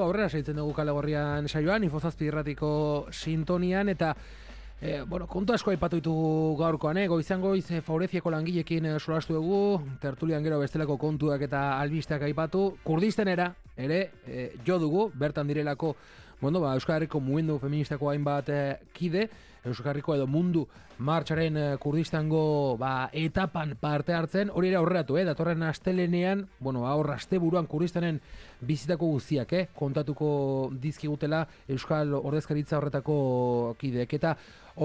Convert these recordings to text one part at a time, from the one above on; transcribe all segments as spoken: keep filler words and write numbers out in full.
Aurrera seitzen dugu Kale Gorrian saioan, Infozazpi irratiko sintonian, eta e, bueno, kontu asko aipatu ditugu gaurkoan, eh? Goizan goiz e, Faureziako langilekin e, solastu dugu, tertulian gero bestelako kontuak eta albisteak aipatu, Kurdistanera ere e, jo dugu, bertan direlako bueno, ba, Euskal Herriko mugimendu feministako hainbat e, kide, Euskal Herriko edo mundu martxaren e, Kurdistango ba, etapan parte hartzen, hori ere aurreratu, eh? Datorren astelenean, bueno, aurra asteburuan Kurdistanen bizitako guztiak, eh? Kontatuko dizkigutela Euskal Ordezkaritza horretako kideek. Eta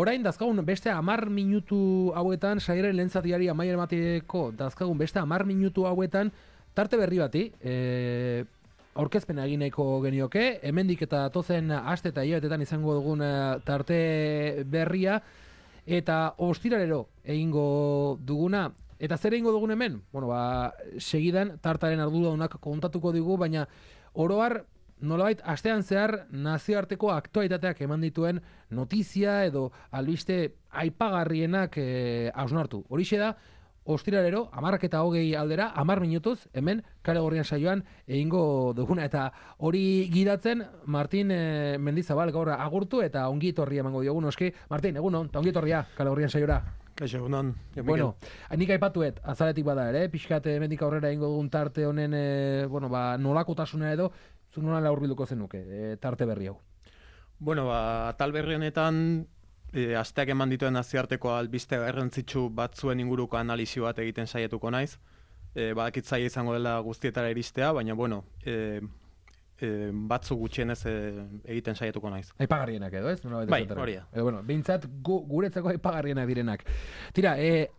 orain dazkagun beste hamar minutu hauetan, saiaren lehen zatiari amaiera emateko dazkagun beste hamar minutu hauetan, tarte berri bati, eh, aurkezpena egin nahiko genioke, hemendik eta tozen aste eta hilabetetan izango dugun tarte berria, eta ostiralero egingo duguna. Eta zer egingo dugun hemen? Bueno, ba, segidan tartaren arduradunak kontatuko digu, baina oroar nolabait astean zehar nazioarteko aktualitateak eman dituen notizia edo albiste aipagarrienak eh, hausnartu. Horixe da, ostiralero, hamarrak eta hogei aldera, hamar minutuz, hemen, Kale Gorrian saioan, egingo duguna. Eta hori gidatzen, Martin e, Mendizabal gaur agurtu eta ongi etorria emango diogun, oski. Martin, egunon, eta ongi etorria, Kale Gorrian saiora. Kaixo, egunon. Bueno, nik aipatuet, azaletik bada ere, pixkat hemendik aurrera egingo dugun tarte honen, e, bueno, ba, nolakotasuna edo, zu nola laurbilduko zenuke, e, tarte berri hau. Bueno, ba, tal berri honetan, E, asteak eman dituen nazioarteko albiste garrantzitsu batzuen inguruko analisi bat egiten saietuko naiz. E, badakit zaila izango dela guztietara iristea, baina bueno, e, e, batzu gutxienez e, egiten saietuko naiz. Aipagarrienak edo, ez? Nola bai, hori da. E, bueno, behintzat gu, guretzako aipagarrienak direnak. Tira, e,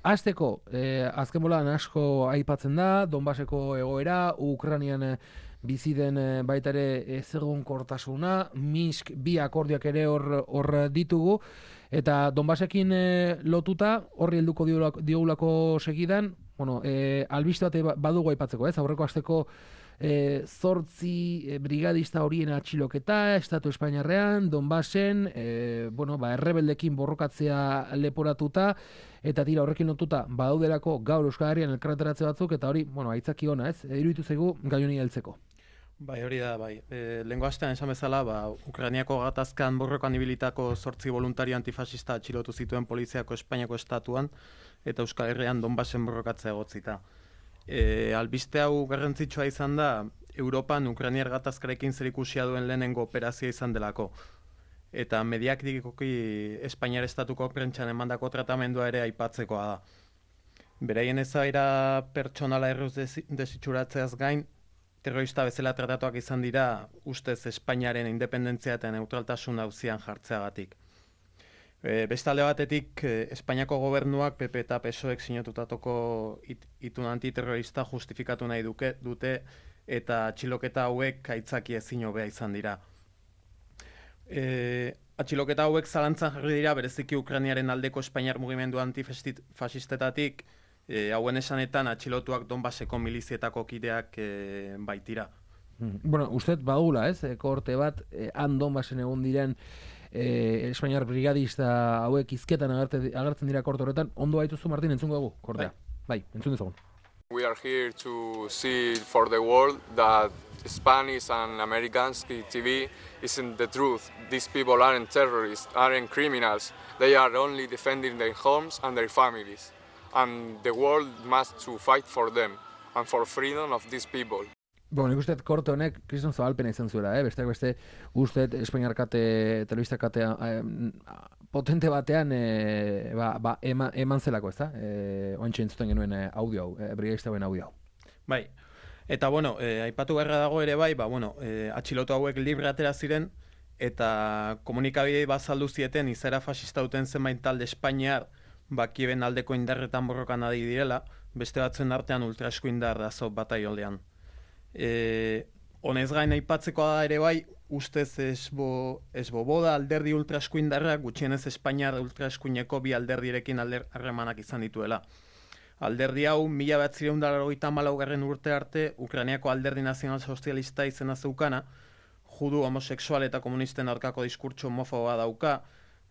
azteko, e, azken bolan asko aipatzen da, Donbaseko egoera, Ukrainian e, bizi den baita ere ezegonkortasuna, Minsk bi akordioak ere hor hor ditugu, eta Donbasekin e, lotuta horri helduko diogulako segidan, bueno, e, albiste bat badugu aipatzeko, ez? Aurreko asteko e, zortzi e, brigadista horien atxiloketa, Estatu Espainiarrean, Donbasen, e, bueno, ba, errebeldekin borrokatzea leporatuta, eta tira horrekin lotuta badaudelako gaur Euskal Herrian elkarretaratze batzuk, eta hori, bueno, aitzaki ona, ez? Iruditu zaigu gai honi heltzeko. Bai, hori da, bai. E, lehengo astean esan bezala, ba, Ukrainiako gatazkan borrokan ibilitako zortzi voluntario antifasista atxilotu zituen poliziako Espainiako estatuan, eta Euskal Herrian Donbasen borrokatzea egotzita. E, albiste hau garrantzitsua izan da, Europan Ukrainiar gatazkarekin zerikusia duen lehenengo operazioa izan delako. Eta mediatikoki Espainiar estatuko prentsan emandako tratamendua ere aipatzekoa da. Beraien ezaira pertsonala erruz desitxuratzeaz gain, terrorista bezala tratatuak izan dira ustez Espainiaren independentzia eta neutraltasun auzian jartzeagatik. E, bestalde batetik, e, Espainiako gobernuak P P eta P S O ek sinatutako it, itun antiterrorista justifikatu nahi duke, dute eta atxiloketa hauek aitzaki ezin hobea izan dira. E, atxiloketa hauek zalantzan jarri dira bereziki Ukrainiaren aldeko Espainiar mugimendu antifasistetatik, E, hauen esanetan atxilotuak Donbaseko milizietako kideak e, baitira. Bueno, usted badula, ez? Korte bat, eh, han Donbasen egon diren eh, Espainiar brigadista hauek izketan agertzen dira korte horretan. Ondo baituzu, Martin, entzungo dugu, kortea. Bai, bai entzun dezagun. We are here to see for the world that Spanish and Americans T V isn't the truth. These people aren't terrorists, aren't criminals. They are only defending their homes and their families. And the world must to fight for them and for freedom of these people. Bueno, nik uste korte honek Kriston Zabalpena izan zuela, eh? Besteak beste uste Espainiar kate, telebista katea eh, potente batean eh, ba, ba, ema, eman zelako, ez da? Eh, Oantxe entzuten genuen eh, audio hau, eh, brigadista hauen audio hau. Bai, eta bueno, eh, aipatu beharra dago ere bai, ba, bueno, eh, atxilotu hauek libre atera ziren, eta komunikabidei bazaldu zieten izaera fascista duten zenbait talde Espainiar, Bakieben aldeko indarretan borrokan adi direla, beste batzuen artean ultraesku indar dazo bataioldean. E, honez gain aipatzekoa da ere bai, ustez esbo, esboboda alderdi ultraesku indarrak gutxienez Espainiar ultraeskuineko bi alderdirekin harremanak izan dituela. Alderdi hau, mila bederatziehun eta laurogeita hamalaugarren urte arte, Ukrainiako alderdi nazional sozialista izena zeukana, judu, homosexual eta komunisten aurkako diskurtso homofoboa dauka,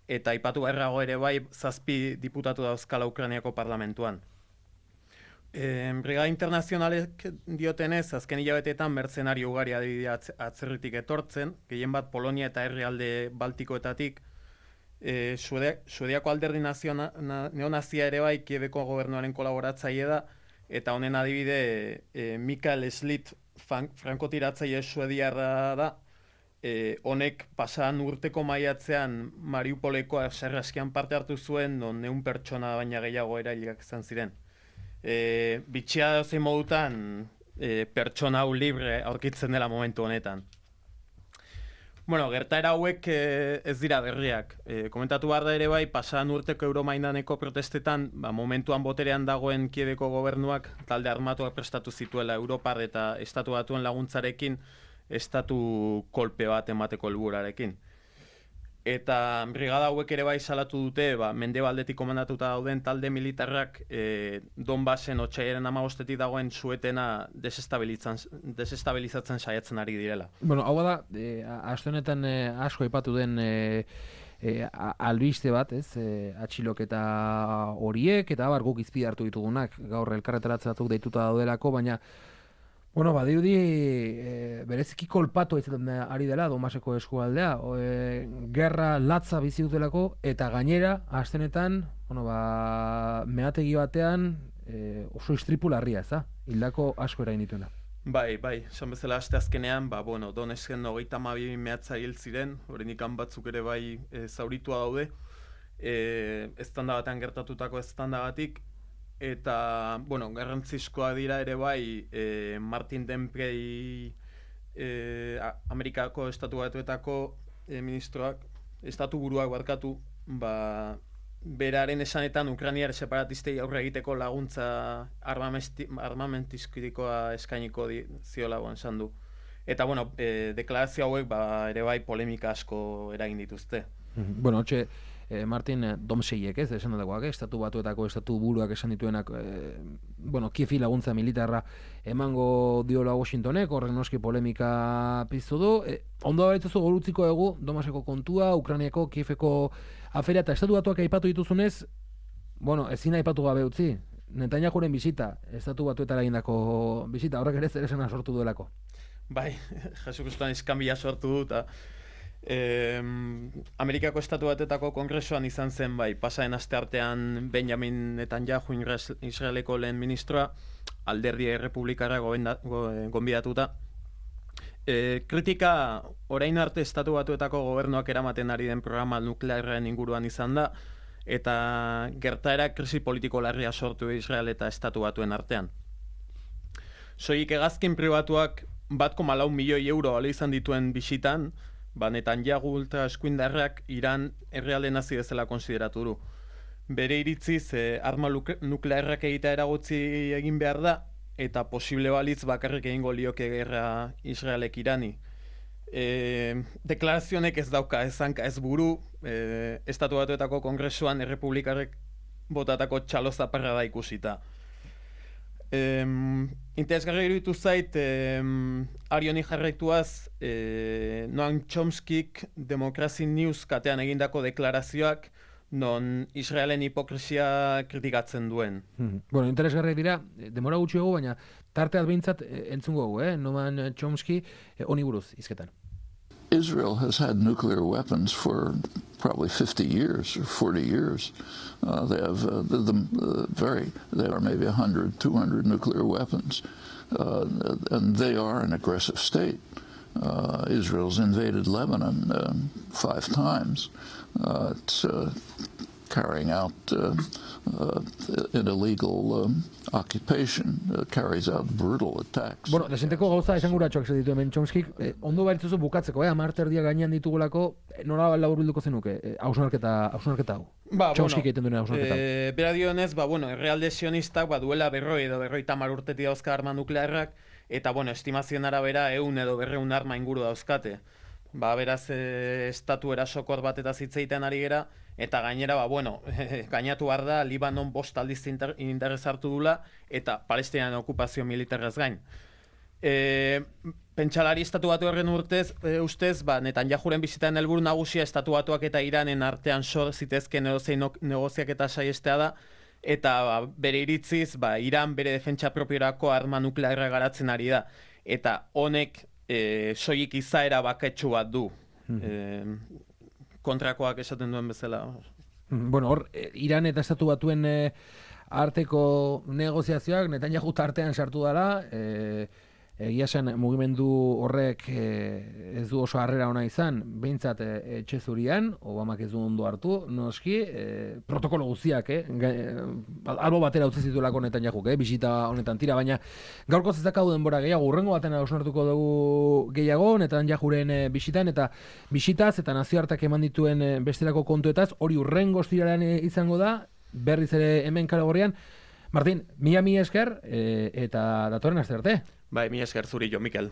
eta aipatu beharrago ere bai zazpi diputatu dauzkala Ukrainiako parlamentuan. E, Brigada Internazionalek diotenez, azken hilabeteetan mertzenari ugari adibidea atzerritik etortzen, gehien bat Polonia eta herrialde Baltikoetatik, e, Suedia, Suediako alderdi naziona, na, neonazia ere bai Kiebeko gobernuaren kolaboratzaile da, eta honen adibide e, Mikael Schlitt frankotiratzaile suediarra da, e, honek pasadan urteko maiatzean Mariupoleko sarraskian parte hartu zuen, non neun pertsona baina gehiago erailak izan ziren. E, bitxia zein modutan e, pertsona hau libre aurkitzen dela momentu honetan. Bueno, gertaera hauek e, ez dira berriak. E, komentatu behar da ere bai, pasadan urteko Euromaidaneko protestetan, ba, momentuan boterean dagoen Kiebeko gobernuak talde armatuak prestatu zituela Europar eta Estatu Batuen laguntzarekin estatu kolpe bat emateko helburarekin. Eta brigada hauek ere bai salatu dute, ba, mendebaldetik komandatuta dauden talde militarrak e, Donbassen otsailaren hamabostetik dagoen suetena desestabilizatzen saiatzen ari direla. Bueno, hau da, e, aste honetan e, asko aipatu den e, e, albiste bat, ez? E, atxiloketa horiek, eta abar guk izpide hartu ditugunak, gaur elkarretaratzen batzuk deituta daudelako, baina bueno, badirudi e, bereziki kolpatu izaten ari dela Donbaseko eskualdea, e, gerra latza bizi dutelako, eta gainera, astenetan, bueno, ba, meategi batean e, oso istripu larria, ez da? Hildako asko erain dituena. Bai, bai, esan bezala aste azkenean, ba, bueno, Donetsk hogeita hamabi mehatza hil ziren, oraindik batzuk ere bai e, zauritua daude, e, eztanda batean gertatutako eztandagatik, eta, bueno, garrantzizkoa dira ere bai e, Martin Dempsey e, Amerikako Estatu Batuetako e, ministroak, estatu buruak barkatu, ba, beraren esanetan Ukrainiar separatistei aurre egiteko laguntza armamentistikoa eskainiko di, ziola esan du. Eta, bueno, e, deklarazio hauek ba, ere bai polemika asko eragin dituzte. Bueno, hotxe, Eh, Martin Dempseyek, ez, esan dutakoak, eh? Estatu Batuetako estatu buruak esan dituenak, eh, bueno, Kiefi laguntza militarra emango diola Washingtonek, horrek noski polemika piztu du. Eh, ondo baitzuzu golutziko egu, Donbaseko kontua, Ukrainiako, Kiefeko afera eta Estatu Batuak aipatu dituzunez, bueno, ezin aipatu gabe utzi, Netanyahuren bisita, Estatu Batuetara egindako bisita, horrek ere zeresena sortu duelako. Bai, Jesukriston iskanbila sortu du, eta Eh, Amerikako Estatu Batuetako kongresuan izan zen bai, pasaden asteartean Benjamin Netanyahu Israeleko lehen ministroa, alderdi errepublikarra gonbidatuta. E, kritika orain arte Estatu Batuetako gobernuak eramaten ari den programa nuklearren inguruan izan da, eta gertaera krisi politiko larria sortu Israel eta Estatu Batuen artean. Soilik hegazkin pribatuak bat koma lau milioi euro balo izan dituen bisitan, ba, Netanyahu ultra eskuindarrak Iran herrialde nazi bezala konsideratu du. Bere iritziz, eh, arma nuklearrak egitea eragotzi egin behar da, eta posible balitz bakarrik egingo lioke gerra Israelek Irani. E, deklarazionek ez dauka, ez hanka, ez buru, e, Estatu Batuetako kongresuan errepublikarrek botatako txalo zaparra da ikusita. Um, Interesgarri iruditu zait, um, Arioni jarraituaz, eh, Noam Chomskik Democracy News katean egindako deklarazioak, non Israelen hipokresia kritikatzen duen. Hmm. Bueno, interesgarri dira, demora gutxi egu, baina tarteat behintzat entzungo egu, eh? Noam Chomsky, eh, honi buruz, izketan. Israel has had nuclear weapons for probably fifty years or forty years. Uh, they have uh, the, the, uh, very, there are maybe one hundred, two hundred nuclear weapons. Uh, and they are an aggressive state. Uh, Israel's invaded Lebanon uh, five times. Uh, it's uh, carrying out uh, uh, an illegal um, occupation, uh, carries out brutal attacks. Bueno, desenteko gauza esan guratxoak zeditu hemen Chomskik, eh, ondo baritzuzu bukatzeko, eh, amarter dia gainean ditugulako, eh, nora laburbilduko zenuke, eh, hausnarketa hau. Ba, Chomskik bueno, egiten duen hausnarketa hau. E, bera dionez, ba, bueno, errealde sionistak, ba, duela berroi edo berroi tamar urtetik dauzka arma nuklearrak, eta, bueno, estimazioen arabera, eun edo berreun arma inguru dauzkate. Ba, beraz, e, estatu erasokor bat eta zitzeiten ari gera, eta gainera, ba, bueno, gainatu behar da, Libanon bost aldiz inter, interes hartu dula, eta Palestinan okupazio militarrez gain. E, pentsalari Estatu Batu horren urtez, e, ustez, ba, Netanyahuren bizitan helburu nagusia Estatu Batuak eta Iranen artean sor zitezken edozein negoziak eta saiestea da, eta ba, bere iritziz, ba, Iran bere defentsa propiorako arma nuklearra garatzen ari da. Eta honek e, soilik izaera baketsu bat du. Mm-hmm. e, kontrakoak esaten duen bezala. Bueno, hor, Iran eta Estatu Batuen e, arteko negoziazioak Netanyahu tartean sartu dela, e, egia zen mugimendu horrek e, ez du oso harrera ona izan, behintzat e, etxe zurian, Obamak ez du ondo hartu, noski, e, protokolo guztiak, eh? albo batera utzi zituelako Netanyahuk, eh? bisita honetan tira, baina gaurko zezakadu denbora gehiago, urrengo baten hausnartuko dugu gehiago, Netanyahuren e, bisitan, eta bisitaz eta nazioartak eman dituen e, bestelako kontuetaz, hori urrengo ostiralean e, izango da, berriz ere hemen Kalagorrian. Martin, mila mila esker e, eta datorren aste arte. Bai, mila esker zuri jo, Mikel.